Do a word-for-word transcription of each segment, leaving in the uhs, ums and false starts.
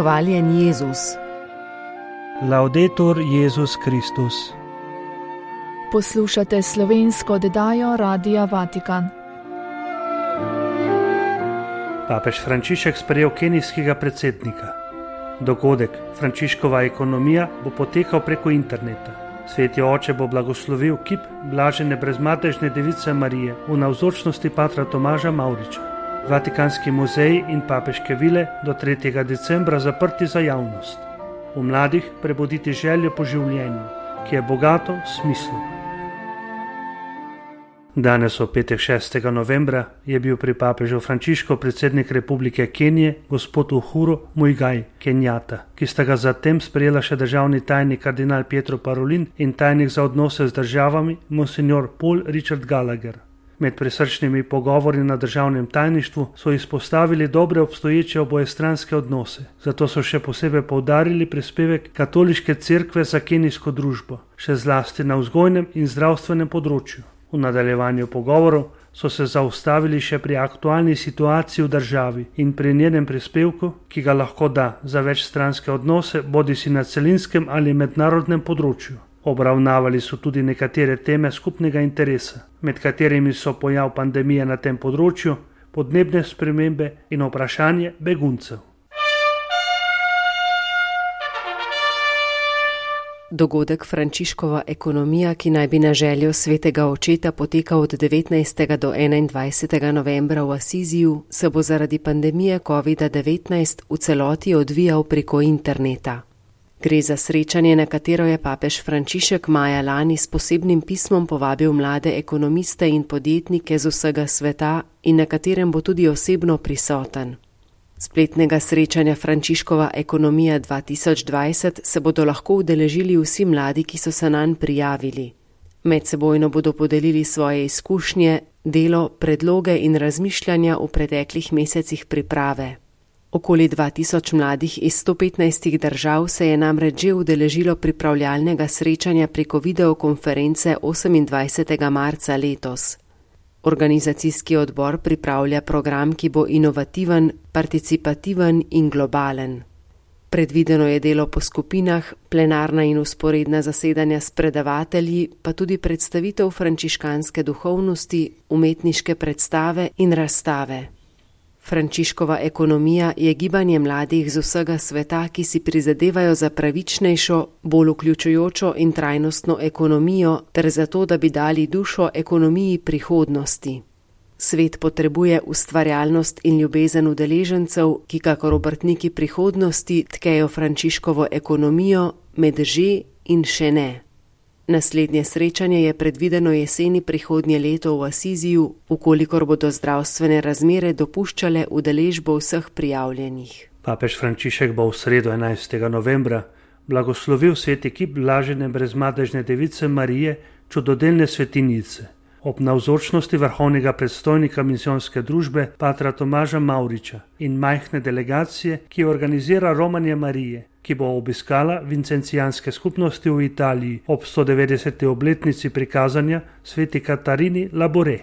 Hvaljen Jezus. Laudetur Jezus Kristus. Poslušate slovensko oddajo Radia Vatikan. Papež Frančišek sprejel kenijskega predsednika. Dogodek Frančiškova ekonomija bo potekal preko interneta. Sveti oče bo blagoslovil kip blažene brezmadežne device Marije v navzočnosti patra Tomaža Mavriča. Vatikanski muzeji in papeške vile do tretjega decembra zaprti za javnost. V mladih prebuditi željo po življenju, ki je bogato smislu. Danes v petek šestega novembra je bil pri papežu Frančišku predsednik Republike Kenije gospod Uhuru Muigai Kenyatta, ki sta ga zatem sprejela še državni tajnik kardinal Pietro Parolin in tajnik za odnose z državami monsignor Paul Richard Gallagher. Med prisrčnimi pogovori na državnem tajništvu so izpostavili dobre obstoječe obojestranske odnose, zato so še posebej poudarili prispevek katoliške cerkve za kenijsko družbo, še zlasti na vzgojnem in zdravstvenem področju. V nadaljevanju pogovorov so se zaustavili še pri aktualni situaciji v državi in pri njenem prispevku, ki ga lahko da za večstranske odnose bodisi na celinskem ali mednarodnem področju. Obravnavali so tudi nekatere teme skupnega interesa, med katerimi so pojav pandemije na tem področju, podnebne spremembe in vprašanje beguncev. Dogodek Frančiškova ekonomija, ki naj bi na željo svetega očeta potekal od devetnajstega do enaindvajsetega novembra v Asiziju, se bo zaradi pandemije kovida devetnajst v celoti odvijal preko interneta. Gre za srečanje, na katero je papež Frančišek maja lani s posebnim pismom povabil mlade ekonomiste in podjetnike z vsega sveta in na katerem bo tudi osebno prisoten. Spletnega srečanja Frančiškova ekonomija dva tisoč dvajset se bodo lahko udeležili vsi mladi, ki so se nanj prijavili. Medsebojno bodo podelili svoje izkušnje, delo, predloge in razmišljanja v preteklih mesecih priprave. Okoli dva tisoč mladih iz sto petnajstih držav se je namreč že udeležilo pripravljalnega srečanja preko videokonference osemindvajsetega marca letos. Organizacijski odbor pripravlja program, ki bo inovativen, participativen in globalen. Predvideno je delo po skupinah, plenarna in vzporedna zasedanja s predavatelji, pa tudi predstavitev frančiškanske duhovnosti, umetniške predstave in razstave. Frančiškova ekonomija je gibanje mladih z vsega sveta, ki si prizadevajo za pravičnejšo, bolj vključujočo in trajnostno ekonomijo ter za to, da bi dali dušo ekonomiji prihodnosti. Svet potrebuje ustvarjalnost in ljubezen udeležencev, ki kakor obrtniki prihodnosti tkejo Frančiškovo ekonomijo med že in še ne. Naslednje srečanje je predvideno jeseni prihodnje leto v Asiziju, ukolikor bodo zdravstvene razmere dopuščale udeležbo vseh prijavljenih. Papež Frančišek bo v sredo enajstega novembra blagoslovil sveti kip blažene brezmadežne device Marije, čudodelne svetinjice, ob navzočnosti vrhovnega predstojnika misijonske družbe patra Tomaža Mavriča in majhne delegacije, ki organizira romanje Marije, ki bo obiskala vincencijanske skupnosti v Italiji ob sto devetdeseti obletnici prikazanja sveti Katarini Labore.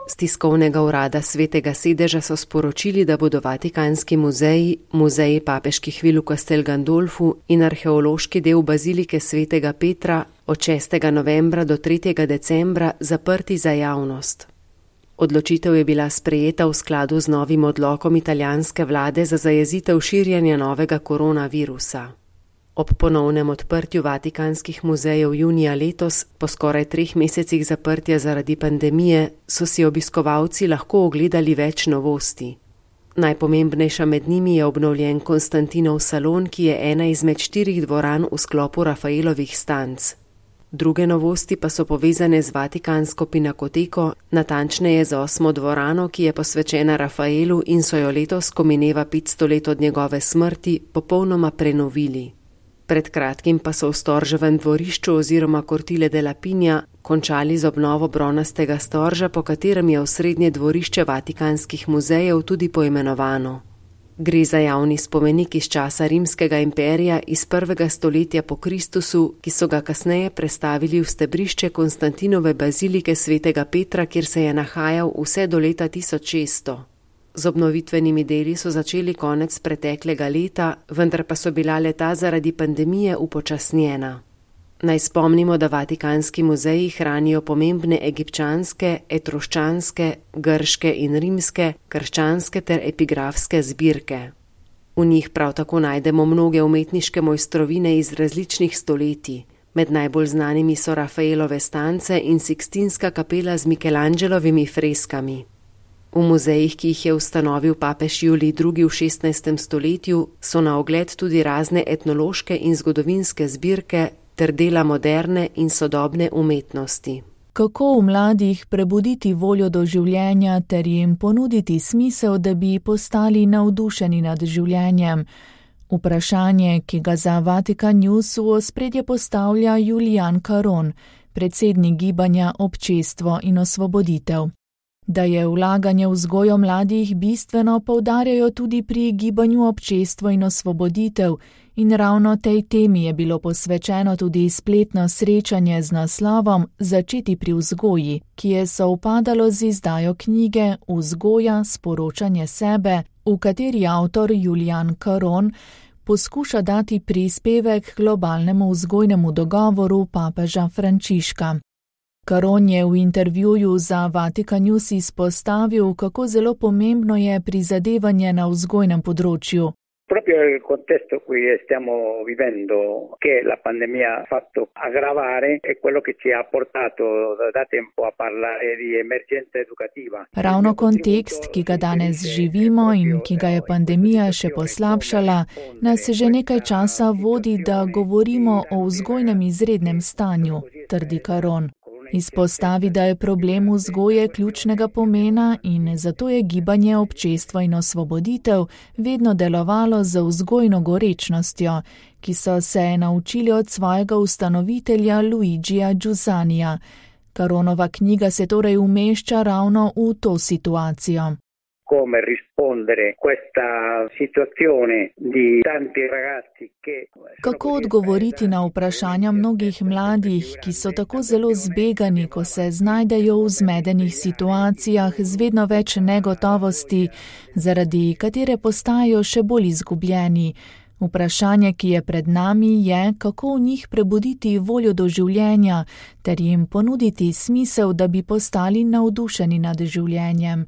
Z tiskovnega urada Svetega sedeža so sporočili, da bodo Vatikanski muzeji, muzeji papeških vil v Castel Gandolfu in arheološki del bazilike svetega Petra od šestega novembra do tretjega decembra zaprti za javnost. Odločitev je bila sprejeta v skladu z novim odlokom italijanske vlade za zajezitev širjenja novega koronavirusa. Ob ponovnem odprtju vatikanskih muzejev junija letos, po skoraj treh mesecih zaprtja zaradi pandemije, so si obiskovalci lahko ogledali več novosti. Najpomembnejša med njimi je obnovljen Konstantinov salon, ki je ena izmed štirih dvoran v sklopu Rafaelovih stanc. Druge novosti pa so povezane z Vatikansko pinakoteko, natančneje z osmo dvorano, ki je posvečena Rafaelu in so jo letos, ko mineva petsto let od njegove smrti, popolnoma prenovili. Pred kratkim pa so v Storževem dvorišču oziroma Cortile della Pigna končali z obnovo bronastega storža, po katerem je osrednje dvorišče vatikanskih muzejev tudi poimenovano. Gre za javni spomenik iz časa Rimskega imperija iz prvega stoletja po Kristusu, ki so ga kasneje prestavili v stebrišče Konstantinove bazilike svetega Petra, kjer se je nahajal vse do leta tisoč šeststo. Z obnovitvenimi deli so začeli konec preteklega leta, vendar pa so bila leta zaradi pandemije upočasnjena. Naj spomnimo, da Vatikanski muzeji hranijo pomembne egipčanske, etruščanske, grške in rimske, krščanske ter epigrafske zbirke. V njih prav tako najdemo mnoge umetniške mojstrovine iz različnih stoletij. Med najbolj znanimi so Rafaelove stance in Sikstinska kapela z Michelangelovimi freskami. V muzejih, ki jih je ustanovil papež Julij drugi v šestnajstem stoletju, so na ogled tudi razne etnološke in zgodovinske zbirke ter dela moderne in sodobne umetnosti. Kako v mladih prebuditi voljo do življenja ter jim ponuditi smisel, da bi postali navdušeni nad življenjem? Vprašanje, ki ga za Vatikan News v ospredje postavlja Julian Caron, predsednik gibanja Občestvo in osvoboditev. Da je vlaganje v vzgojo mladih bistveno, poudarjajo tudi pri gibanju Občestvo in osvoboditev, in ravno tej temi je bilo posvečeno tudi spletno srečanje z naslovom Začeti pri vzgoji, ki je sovpadalo z izdajo knjige Vzgoja, sporočanje sebe, v kateri avtor Julian Caron poskuša dati prispevek k globalnemu vzgojnemu dogovoru papeža Frančiška. Caron je v intervjuju za Vatikan News izpostavil, kako zelo pomembno je prizadevanje na vzgojnem področju. Proprio il contesto cui stiamo vivendo, che la pandemia ha fatto aggravare, è quello che ci ha portato da tempo a parlare di emergenza educativa. Ravno kontekst, ki ga danes živimo in ki ga je pandemija še poslabšala, nas že nekaj časa vodi, da govorimo o vzgojnem izrednem stanju, trdi Caron. Izpostavi, da je problem vzgoje ključnega pomena in zato je gibanje Občestvo in osvoboditev vedno delovalo z vzgojno gorečnostjo, ki so se naučili od svojega ustanovitelja Luigija Giusanija. Caronova knjiga se torej umešča ravno v to situacijo. Come rispondere questa situazione di tanti ragazzi che Kako odgovoriti na vprašanja mnogih mladih, ki so tako zelo zbegani, ko se znajdejo v zmedenih situacijah z vedno več negotovosti, zaradi katere postajajo še bolj izgubljeni. Vprašanje, ki je pred nami, je, kako v njih prebuditi voljo do življenja ter jim ponuditi smisel, da bi postali navdušeni nad življenjem.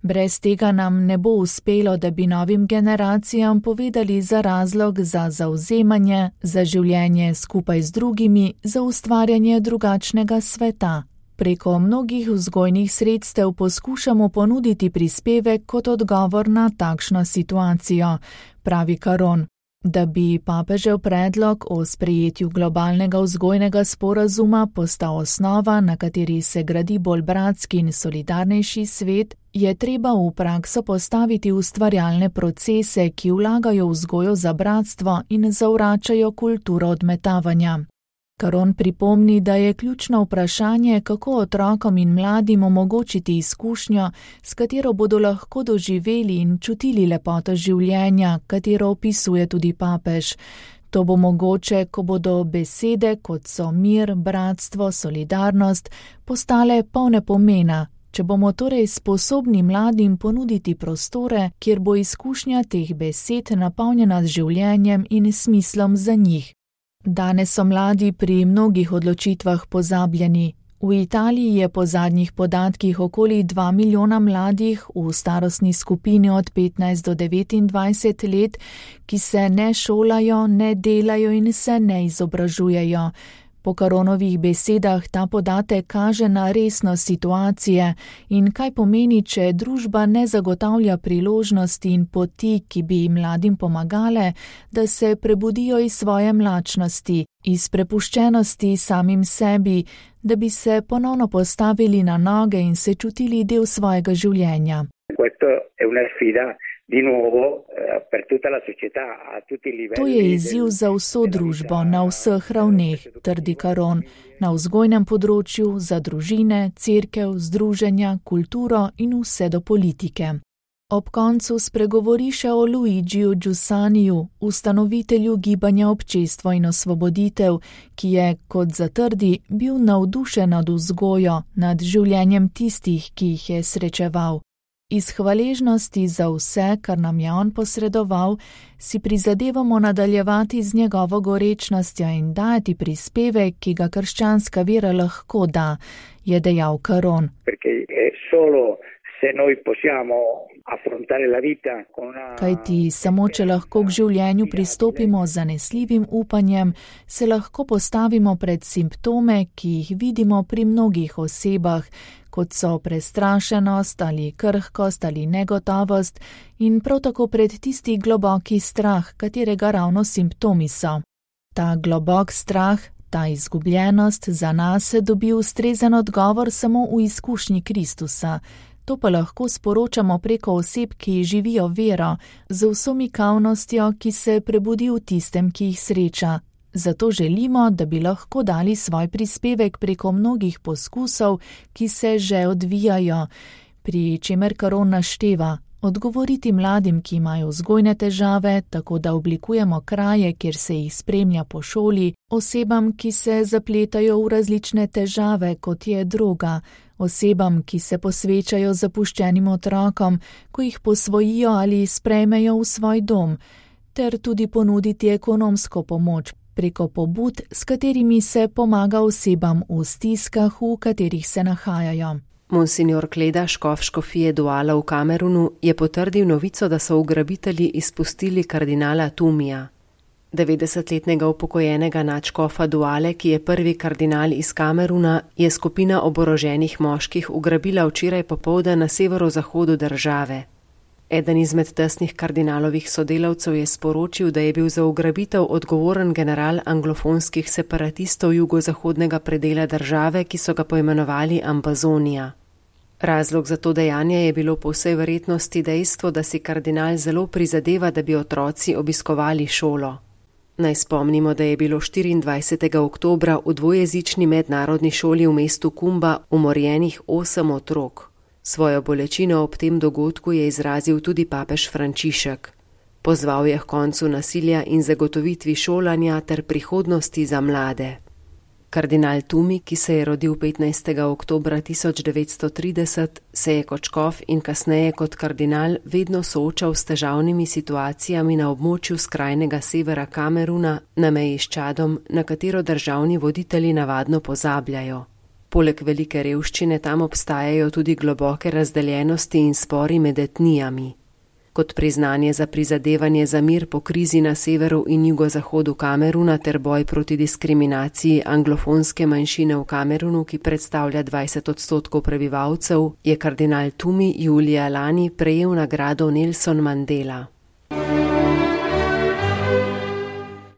Brez tega nam ne bo uspelo, da bi novim generacijam povedali za razlog za zavzemanje, za življenje skupaj z drugimi, za ustvarjanje drugačnega sveta. Preko mnogih vzgojnih sredstev poskušamo ponuditi prispevek kot odgovor na takšno situacijo, pravi Caron. Da bi papežev predlog o sprejetju globalnega vzgojnega sporazuma postal osnova, na kateri se gradi bolj bratski in solidarnejši svet, je treba v prakso postaviti ustvarjalne procese, ki vlagajo vzgojo za bratstvo in zavračajo kulturo odmetavanja. Caron pripomni, da je ključno vprašanje, kako otrokom in mladim omogočiti izkušnjo, s katero bodo lahko doživeli in čutili lepoto življenja, katero opisuje tudi papež. To bo mogoče, ko bodo besede, kot so mir, bratstvo, solidarnost, postale polne pomena, če bomo torej sposobni mladim ponuditi prostore, kjer bo izkušnja teh besed napolnjena z življenjem in smislom za njih. Danes so mladi pri mnogih odločitvah pozabljeni. V Italiji je po zadnjih podatkih okoli dva milijona mladih v starostni skupini od petnajst do devetindvajset let, ki se ne šolajo, ne delajo in se ne izobražujejo. Po Caronovih besedah ta podatek kaže na resnost situacije in kaj pomeni, če družba ne zagotavlja priložnosti in poti, ki bi mladim pomagale, da se prebudijo iz svoje mlačnosti, iz prepuščenosti samim sebi, da bi se ponovno postavili na noge in se čutili del svojega življenja. To je izziv za vso družbo, na vseh ravneh, trdi Caron, na vzgojnem področju, za družine, cerkev, združenja, kulturo in vse do politike. Ob koncu spregovori še o Luigiju Giussaniju, ustanovitelju gibanja Občestvo in osvoboditev, ki je, kot zatrdi, bil navdušen nad vzgojo, nad življenjem tistih, ki jih je srečeval. Iz hvaležnosti za vse, kar nam je on posredoval, si prizadevamo nadaljevati z njegovo gorečnostjo in dajati prispevek, ki ga krščanska vera lahko da, je dejal Caron. Kajti samo, če lahko k življenju pristopimo z zanesljivim upanjem, se lahko postavimo pred simptome, ki jih vidimo pri mnogih osebah, kot so prestrašenost ali krhkost ali negotovost in prav tako pred tisti globoki strah, katerega ravno simptomi so. Ta globok strah, ta izgubljenost za nas dobi ustrezen odgovor samo v izkušnji Kristusa. To pa lahko sporočamo preko oseb, ki živijo vero, z vso mikavnostjo, ki se prebudi v tistem, ki jih sreča. Zato želimo, da bi lahko dali svoj prispevek preko mnogih poskusov, ki se že odvijajo, pri čemer Caron našteva, odgovoriti mladim, ki imajo vzgojne težave, tako da oblikujemo kraje, kjer se jih spremlja po šoli, osebam, ki se zapletajo v različne težave, kot je droga, osebam, ki se posvečajo zapuščenim otrokom, ko jih posvojijo ali sprejmejo v svoj dom, ter tudi ponuditi ekonomsko pomoč preko pobud, s katerimi se pomaga osebam v stiskah, v katerih se nahajajo. Monsignor Kleda, škof škofije Douala v Kamerunu, je potrdil novico, da so ugrabitelji izpustili kardinala Tumija. devetdesetletnega upokojenega nadškofa Douale, ki je prvi kardinal iz Kameruna, je skupina oboroženih moških ugrabila včeraj popoldne na severozahodu države. Eden izmed tesnih kardinalovih sodelavcev je sporočil, da je bil za ugrabitev odgovoren general anglofonskih separatistov jugozahodnega predela države, ki so ga poimenovali Ambazonija. Razlog za to dejanje je bilo po vsej verjetnosti dejstvo, da si kardinal zelo prizadeva, da bi otroci obiskovali šolo. Naj spomnimo, da je bilo štiriindvajsetega oktobra v dvojezični mednarodni šoli v mestu Kumba umorjenih osem otrok. Svojo bolečino ob tem dogodku je izrazil tudi papež Frančišek. Pozval je k koncu nasilja in zagotovitvi šolanja ter prihodnosti za mlade. Kardinal Tumi, ki se je rodil petnajstega oktobra tisoč devetsto trideset, se je kot škof in kasneje kot kardinal vedno soočal s težavnimi situacijami na območju skrajnega severa Kameruna, na meji s Čadom, na katero državni voditelji navadno pozabljajo. Poleg velike revščine tam obstajajo tudi globoke razdeljenosti in spori med etnijami. Kot priznanje za prizadevanje za mir po krizi na severu in jugozahodu Kameruna ter boj proti diskriminaciji anglofonske manjšine v Kamerunu, ki predstavlja dvajset odstotkov prebivalcev, je kardinal Tumi julija lani prejel nagrado Nelson Mandela.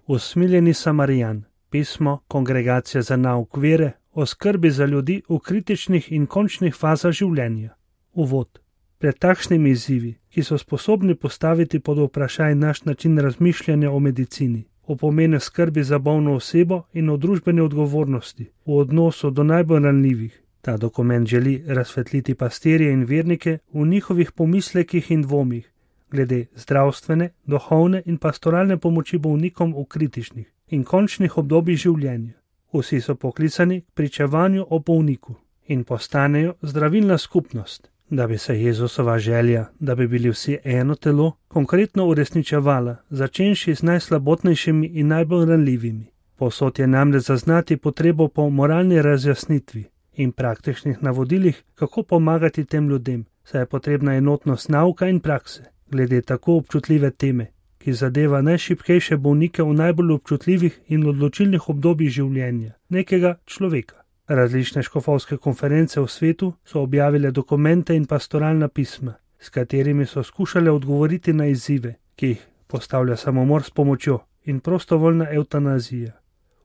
Usmiljeni Samarijan, pismo Kongregacije za nauk vere o skrbi za ljudi v kritičnih in končnih fazah življenja. Uvod. Pred takšnimi izzivi, ki so sposobni postaviti pod vprašaj naš način razmišljanja o medicini, o pomenu skrbi za bolno osebo in o družbeni odgovornosti v odnosu do najbolj ranljivih. Ta dokument želi razsvetliti pastirje in vernike v njihovih pomislekih in dvomih glede zdravstvene, duhovne in pastoralne pomoči bolnikom v kritičnih in končnih obdobjih življenja. Vsi so poklicani k pričevanju o bolniku in postanejo zdravilna skupnost, da bi se Jezusova želja, da bi bili vsi eno telo, konkretno uresničevala, začenši z najslabotnejšimi in najbolj ranljivimi. Povsod je namreč zaznati potrebo po moralni razjasnitvi in praktičnih navodilih, kako pomagati tem ljudem, saj je potrebna enotnost nauka in prakse, glede tako občutljive teme, ki zadeva najšibkejše bolnike v najbolj občutljivih in odločilnih obdobjih življenja nekega človeka. Različne škofovske konference v svetu so objavile dokumente in pastoralna pisma, s katerimi so skušale odgovoriti na izzive, ki jih postavlja samomor s pomočjo in prostovoljna evtanazija,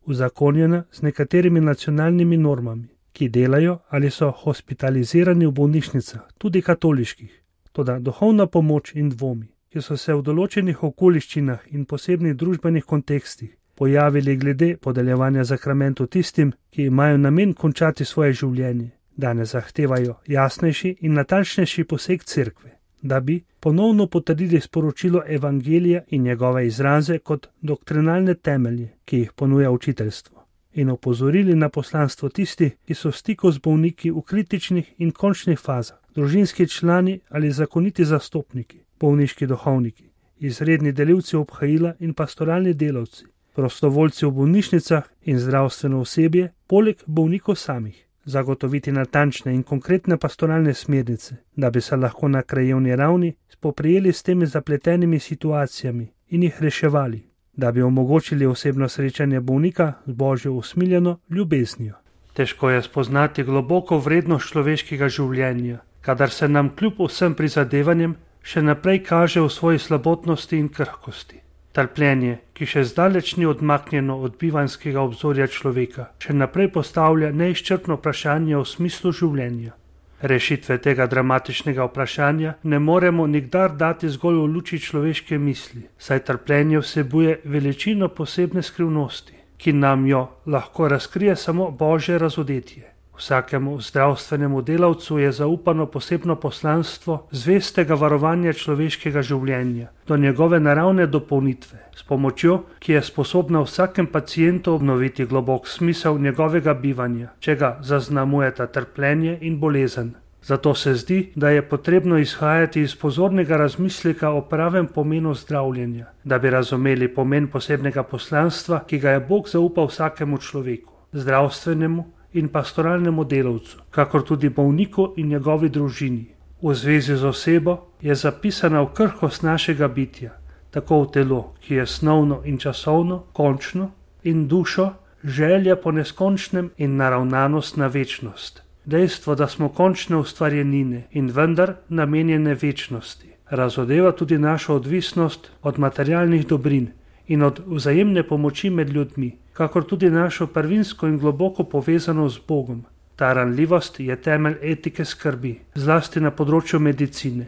uzakonjena z nekaterimi nacionalnimi normami, ki delajo ali so hospitalizirani v bolnišnicah, tudi katoliških. Toda duhovna pomoč in dvomi, ki so se v določenih okoliščinah in posebnih družbenih kontekstih pojavili glede podeljevanja zakramentov tistim, ki imajo namen končati svoje življenje, danes zahtevajo jasnejši in natančnejši poseg cerkve. da bi ponovno potrdili sporočilo evangelija in njegove izraze kot doktrinalne temelje, ki jih ponuja učiteljstvo, in opozorili na poslanstvo tisti, ki so v stiku z bolniki v kritičnih in končnih fazah, družinski člani ali zakoniti zastopniki, bolniški duhovniki, izredni delivci obhajila in pastoralni delavci, prostovoljci v bolnišnicah in zdravstveno osebje, poleg bolnikov samih. Zagotoviti natančne in konkretne pastoralne smernice, da bi se lahko na krajevni ravni spoprijeli s temi zapletenimi situacijami in jih reševali, da bi omogočili osebno srečanje bolnika z Božjo usmiljeno ljubeznijo. Težko je spoznati globoko vrednost človeškega življenja, kadar se nam kljub vsem prizadevanjem še naprej kaže v svoji slabotnosti in krhkosti. Trpljenje, ki še zdaleč ni odmaknjeno od bivanjskega obzorja človeka, še naprej postavlja neizčrpno vprašanje o smislu življenja. Rešitve tega dramatičnega vprašanja ne moremo nikdar dati zgolj v luči človeške misli, saj trpljenje vsebuje veličino posebne skrivnosti, ki nam jo lahko razkrije samo Božje razodetje. Vsakemu zdravstvenemu delavcu je zaupano posebno poslanstvo zvestega varovanja človeškega življenja do njegove naravne dopolnitve, s pomočjo, ki je sposobna vsakem pacientu obnoviti globok smisel njegovega bivanja, če ga zaznamujeta trpljenje in bolezen. Zato se zdi, da je potrebno izhajati iz pozornega razmisleka o pravem pomenu zdravljenja, da bi razumeli pomen posebnega poslanstva, ki ga je Bog zaupal vsakemu človeku, zdravstvenemu in pastoralnemu delavcu, kakor tudi bolniku in njegovi družini. V zvezi z osebo je zapisana v krhkost našega bitja, tako v telo, ki je snovno in časovno, končno, in dušo, želja po neskončnem in naravnanost na večnost. Dejstvo, da smo končne ustvarjenine in vendar namenjene večnosti, razodeva tudi našo odvisnost od materialnih dobrin in od vzajemne pomoči med ljudmi, kakor tudi našo prvinsko in globoko povezanost z Bogom. Ta ranljivost je temelj etike skrbi, zlasti na področju medicine,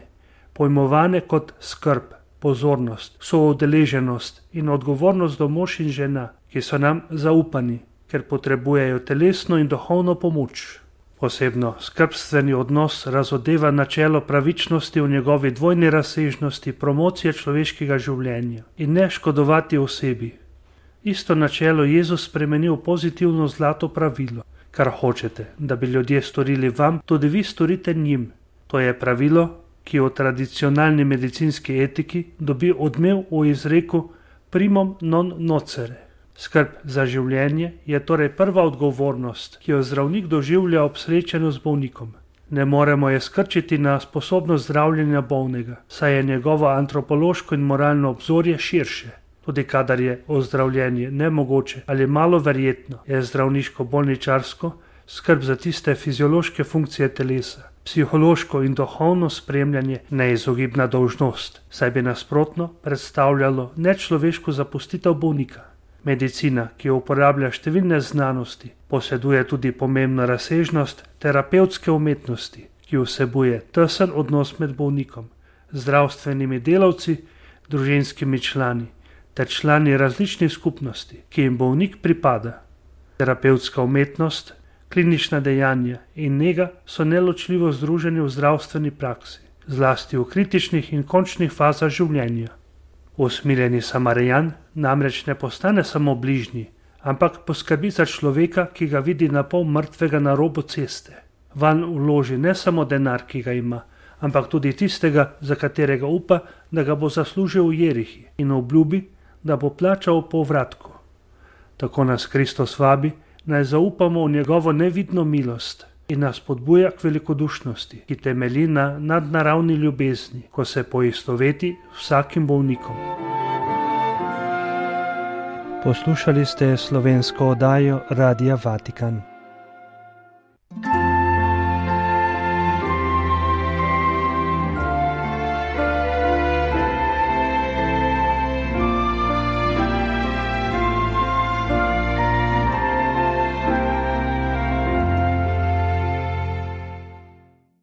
pojmovane kot skrb, pozornost, soudeleženost in odgovornost do mož in žena, ki so nam zaupani, ker potrebujejo telesno in duhovno pomoč. Posebno skrbstveni odnos razodeva načelo pravičnosti v njegovi dvojni razsežnosti promocije človeškega življenja in ne škodovati osebi. Isto načelo Jezus spremeni v pozitivno zlato pravilo. Kar hočete, da bi ljudje storili vam, tudi vi storite njim. To je pravilo, ki v tradicionalni medicinski etiki dobi odmev v izreku primum non nocere. Skrb za življenje je torej prva odgovornost, ki jo zdravnik doživlja ob srečanju z bolnikom. Ne moremo je skrčiti na sposobnost zdravljenja bolnega, saj je njegovo antropološko in moralno obzorje širše. Tudi kadar je ozdravljenje nemogoče ali malo verjetno, je zdravniško-bolničarsko skrb za tiste fiziološke funkcije telesa, psihološko in duhovno spremljanje neizogibna dolžnost, saj bi nasprotno predstavljalo nečloveško zapustitev bolnika. Medicina, ki uporablja številne znanosti, poseduje tudi pomembno razsežnost terapevtske umetnosti, ki vsebuje tesen odnos med bolnikom, zdravstvenimi delavci, družinskimi člani ter člani različnih skupnosti, ki jim bolnik pripada. Terapevtska umetnost, klinična dejanja in nega so neločljivo združeni v zdravstveni praksi, zlasti v kritičnih in končnih fazah življenja. Usmiljeni Samarijan namreč ne postane samo bližnji, ampak poskrbi za človeka, ki ga vidi na pol mrtvega na robu ceste. Vanj vloži ne samo denar, ki ga ima, ampak tudi tistega, za katerega upa, da ga bo zaslužil v Jerihi, in obljubi, da bo plačal po povratku. Tako nas Kristus vabi, naj zaupamo v njegovo nevidno milost in nas spodbuja k velikodušnosti, ki temelji na nadnaravni ljubezni, ko se poistoveti vsakim bolnikom. Poslušali ste slovensko oddajo Radia Vatikan.